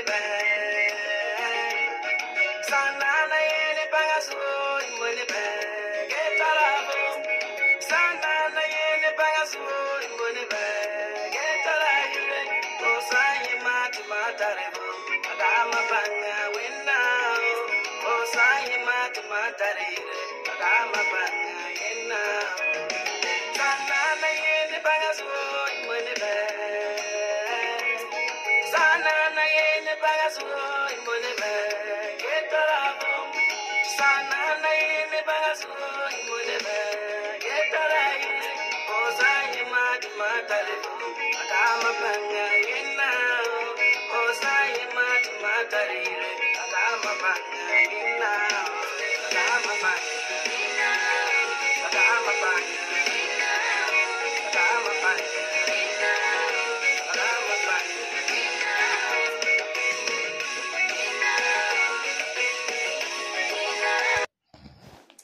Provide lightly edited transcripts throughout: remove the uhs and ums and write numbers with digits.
bɛ. Sanana yene bangaso imone bɛ. Getarabo. Sanana yene bangaso imone bɛ. Getaraire. Osayi matumatarebo. Adama banga winna. Osayi matumatarire. Adama banga yenna. Sanana yene bangaso imone bɛ. Sanana yene bangaso imone bɛ. Getarabo. Sanana yene bangaso imone bɛ. Getaraire. Osayi matumatarebo. Adama banga yenna. Osayi matumatarire. Adama banga yenna. Adama banga. Adama banga. Adama banga. Adama banga.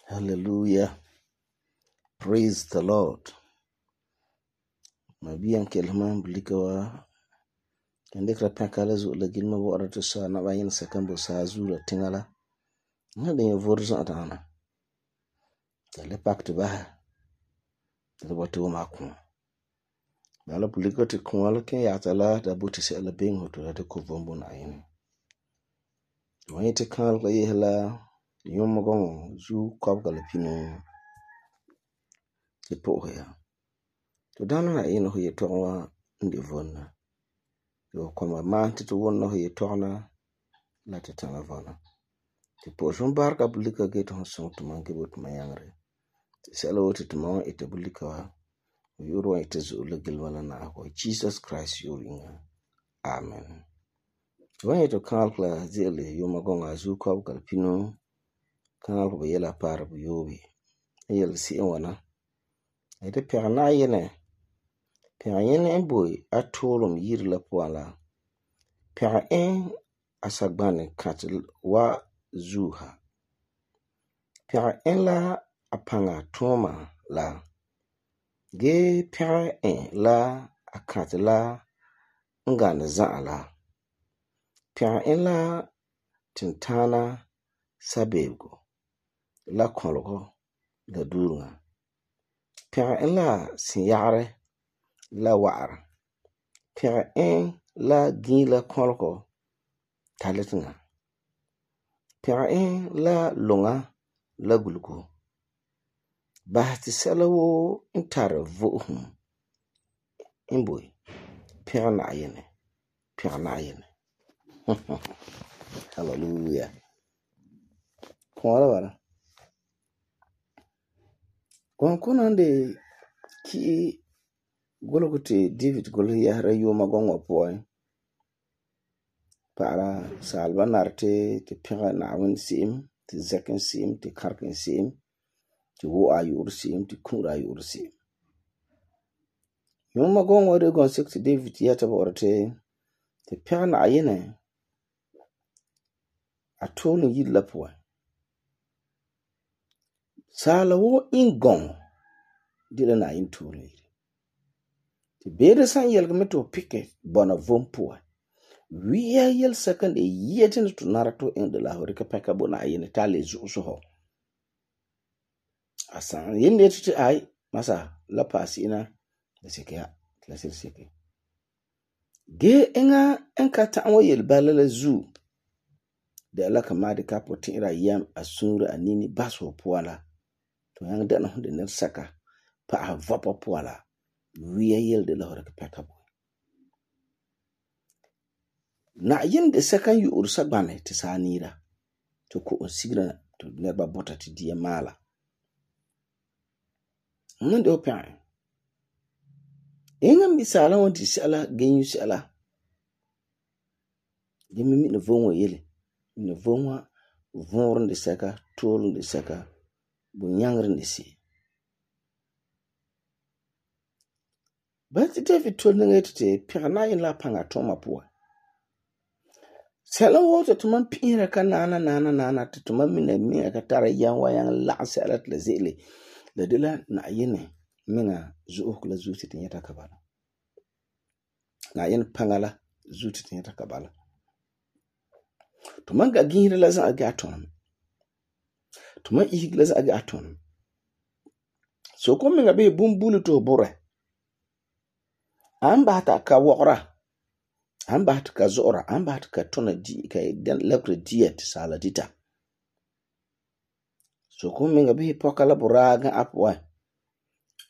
Hallelujah. Praise the Lord. Mabiyan kelman blikawa kende kra pakala zu la gilma wara to sa na bayin sakan bo sa zu la tingala na de vorza atana tele pakte ba de wato ma ku bala blika te kwala ke ya tala da buti se la ben hoto da ko bombo na yin wani te kan la yela yom gon zu kob gal pino te po ya to dana na yin ho ye to wa ndi vonna yo koma man ti to won no ye tona la te tanga vona ti po jom barka bulika ge to so to man ge bot mayangre ti selo ti to man ite bulika wa yoro ite zo le gilwana na ko Jesus Christ yoringa amen to wa to kalkla zele yo magonga zu ko kal pino kan ko yela par bu yobi yel si wana ite perna yene Pɛɣa en boy atolum yiri la puan la. Pɛɣa en asagbani kati wa zuha. Pɛɣa en la apanga toma la. Ge pɛɣa en la akati la ngani za'a la. Pɛɣa en la tintana sabebego la kolgo la durunga. Pɛɣa en la sinyagare la wa'ara. Pɛɣa en la gila kolko talitinga. Pɛɣa en la lunga la gulgo. Bahati sɛla wo n tari vo'ohum n boi. Pɛɣa Na'ayinɛ. Pɛɣa Na'ayinɛ. Hallelujah. Kɔɔla bala. Kɔnkɔna de ki gologo te David golo yahara yoma gongwa puan. Para salba narte te pɛɣa Naawuni se'em, te zɛkin se'em, te karkin se'em, te wo'a yu'ur se'em, te ku'ura yu'ur se'em. Yoma gongwa de gon sek te David yata bɔ'ɔra te pɛɣa Na'ayinɛ a tolum yiri la puan. Sala wo in gong dila Na'ayinɛ tolum yiri. Te beere san yelga me to pike bona vom puan. Wiya yel second e yetin to narato en de la horika peka bo Na'ayinɛ ta le zu'uso ho. Asan yende te ai masa la pasina de sekia la seke. Ge enga enka ta'wa yel bala la zu de la kama de kapo tira yam asunra anini baso puala to yang dana hunde ner saka pa a vopa puala wiya yel de la horika peka bo. Na'ayinɛ de sakan yu'ur sagbane te sanira to ko on sigra to nerba bota te dia mala. Mun de opan. Enga misala won ti sala genyu sala. Gemi mi no vonwa yele. No vonwa vonrun de saka tolun de saka bu nyangrin de si. Ba ti David tolun ngete te pɛɣa Na'ayinɛ la panga toma puan. Sala wota tuman pira ka nana te tuman mina mi ka tara yan wa yang la sala tla zele la de la Na'ayinɛ minga zu'uk la zuti te nyata kabala. Na'ayinɛ panga la zuti te nyata kabala. To man ga gihira la za'a ga ton. To man ihig la za'a ga ton. So kom menga be bumbulu to bore. An ba ta ka wokra. An ba ta ka zora, an ba ta ka tona di ka den lekre diet sala dita. So kom menga be pokala buraga apwa.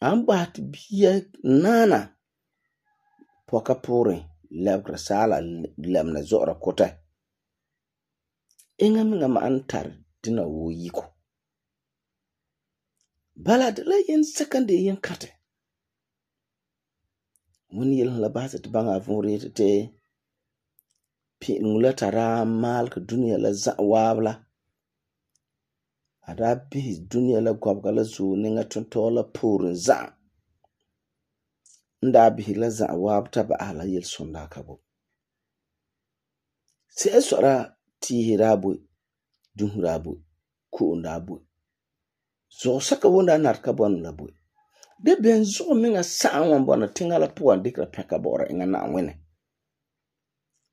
An ba ta biya nana poka pore lekre sala lemna zora kota. Inga menga ma antar dina wo yiko. Bala de la yen sekande yen kate. Wani yel la ba ta banga vore te pi ngula tara mal ka dunia la za wabla. Ada bi dunia la gwabga la zo ninga tonto la porin za. Nda bi la za wabta ba ala yel sonda kabo. Se esora ti hirabu, dunhurabu, kuundabu. Zo saka wonda narka bon la bu. De ben zo minga sa'an wan bona tinga la puan dikra peka bora inga na wene.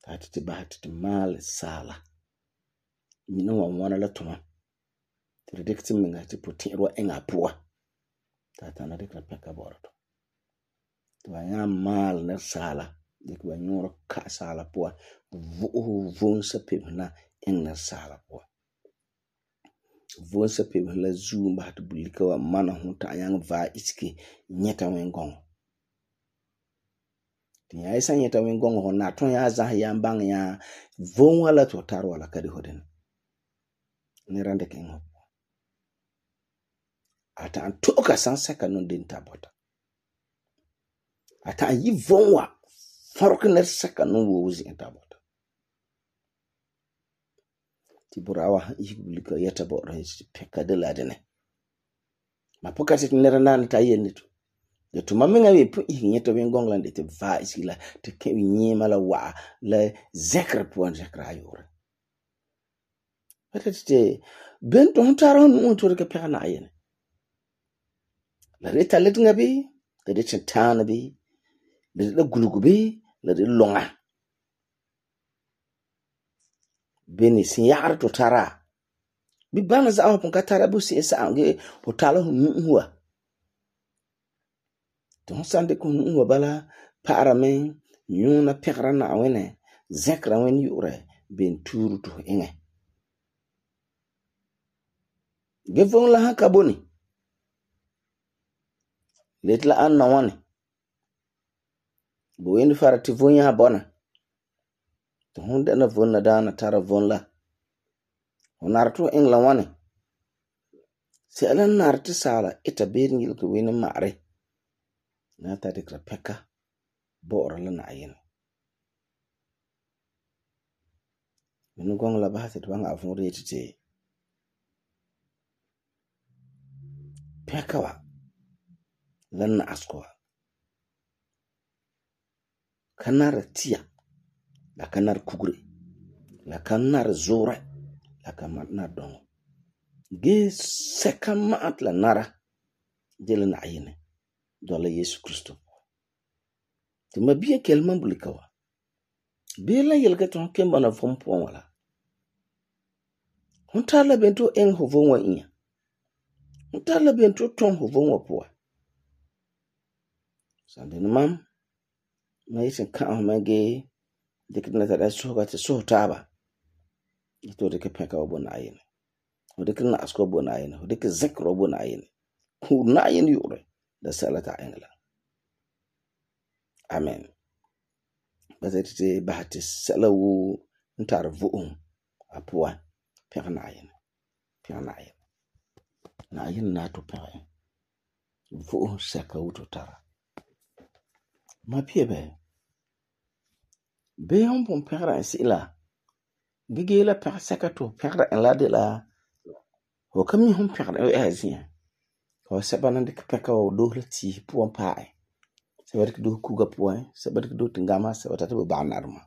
Tati ti bahati ti mal sala. Mina wan la tuma. Ti dikti minga ti putirwa inga pua. Tata na dikra peka bora to. Tuwa ya mal na sala. Dikwa nyoro ka sala pua. Vuhun sa pibna inga sala pua. Vuhun sa pibna la zuu bahati bulika wa mana hunta yang va iski nyeta wengong. Tinya isa nyeta wengong ho na ton ya zah ya mbang ya vuhun wala to tar wala kadi hodin. Nirande kengo. Ata an toka san seka non din tabota. Ata an yi vuhun wa farokiner seka non wuzi tabota. Tiburawa ihibulika yeta bora hisi peka de la dene. Mapokati nera nani ta yeni tu. De tu mamenga we pu ihi nyeta wengong lande te va isi la te kewi nyema la wa la zekra puan zekra ayore. Wata te bento huntara honu untu reke peka na ayene. La reta letinga bi, la reta chantana bi, la reta gulugu bi, la reta longa. Beni sinyar to tara. Bi bana za hopon ka tara bu si esa ange hotala huwa. Ton sande ko huwa bala para men nyuna pekra na wene zekra wen yure ben turu to inge. Gefon la haka boni. Letla an na wane. Bo weni farati vonya bona. To hunde na vonna dana tara vonla. Onarto ingla wane. Si alan narti sala ita berin yilka weni maare. Na ta dikra peka bora la na ayin. Minu gong la bahasi dwanga afuri etite. Peka wa lan na askoa. Kanara tia. La kanar kugre. La kanar zore. La kanar dongo. Ge seka maat la nara. Jele na ayine. Dola Yesu Kristo. Ti mabiya kelman bulikawa. Bela yelga ton kemba na fompo wala. Huntala bento eng hovonwa inya. Huntala bento ton hovonwa poa. Sande ni mam. Ma yisin kaan homage. Dikina tada soga te soho taba. Ito dike peka wabona ayine. Hodikina asko wabona ayine. Hodike zekro wabona ayine. Huna ayine yure. Da salata engla. Amen. Bazete bahati salawu ntar vu'um apua peka na ayine. Peka na ayine. Na ayine na to peka. Vu'um seka uto tara. Ma piebe. Be yon pon peka isi la. Gige la peka seka to peka en la de la. Ho kami hon peka en azien. Ho seba nande peka wa dohle ti puan pae. Seba dik do kuga puan. Seba dik do tingama. Seba tatu banarma.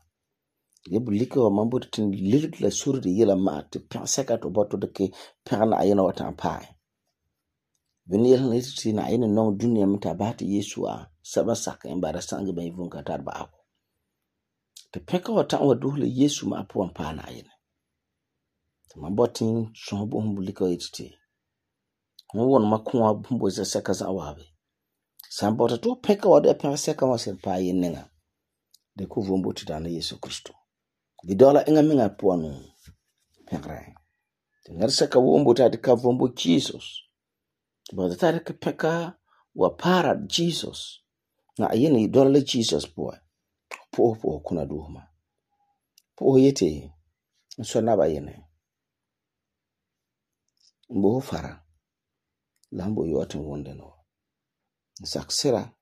Ge bulika wa mambo tin lilik la suri de yela ma. Te peka seka to boto deke peka na ayina watan pae. Bini yel na iti na ayina nong dunia mta bahati Yesu a. Seba saka imbara sangi ba yivunga tarba ako. Te peka watan wa dohle Yesu ma puan pae na ayina. Man botin son bo hum bulika yititi. Hon won ma kuwa bumbo za seka za wabe. San bota to peka wa de peka seka wa sir pa yin ninga. De ku vombo ti dana Yesu Kristo. Di dola inga minga puanu pekra. Ngar seka wombo ta de ka vombo Jesus. Bota ta de ka peka wa para Jesus. Na ayini dola Jesus boy. Po kuna duhuma. Po yete so na ba yene. Mbo fara. Lambo yotin wonde no. Saksira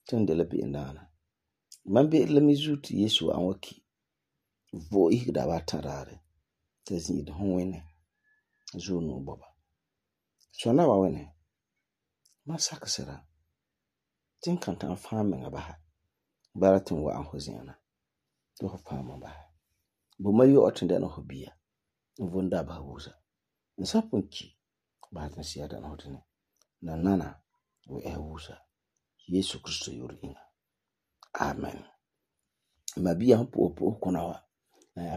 tende la bi indana. Man bi la mizuti Yesu an waki. Vo ihda wa tarare. Tezin de hon wene. Zo no boba. So na ba wene. Ma saksira. Tin kan tan fami nga baha. Baratin wa an hozina. Do ho fami baha. Bu ma yo otende no hobia. Mvunda ba wuza. Nsapunki. Ba tan siya dan hotene. Na nana we wuza. Yesu Kristo yuri inga. Amen. Mabia po kuna wa.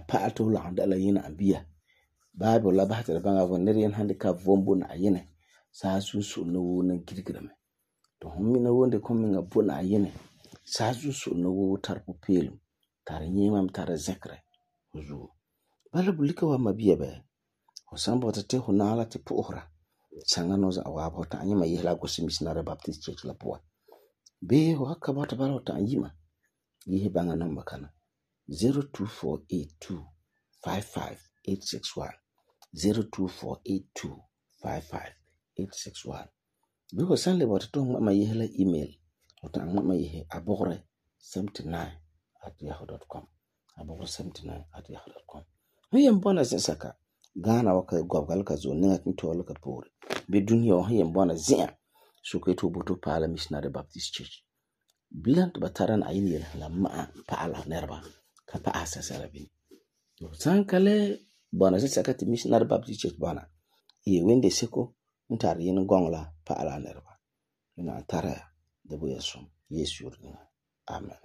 Pa to la dala yina abia. Bible la bahata banga vo nerian handicap vombo na ayene. Sa susu no na girgirame. To hommi na wonde komi nga bo na ayene. Sa susu no tarpo pelu. Tar nyimam tar zekre. Huzu. Bala bulika wa mabia be. Hosambo tate hunala te pohra. Sanga no za awabo ta anyima yihla gosi Missionary Baptist Church la poa. Be ho hakka bata bala ta anyima. Yihe banga number kana 0248255861 0248255861. Be ho sanle bata to ma yihla email o ta ma yihe abogre79@yahoo.com abogre79@yahoo.com. Huyem bona saka Ghana waka gobgal ka zo ninga kinto ka pore. Be dunia wa huyem bona zia so ko to boto pala Missionary Baptist Church. Bilant bataran ayini la ma paala nerba ka pa asasara bi. Sankale bona saka ti Missionary Baptist Church bona. Wende seko ntar yin gongla paala nerba. Ina tara da bu Yesu. Yesu. Amen.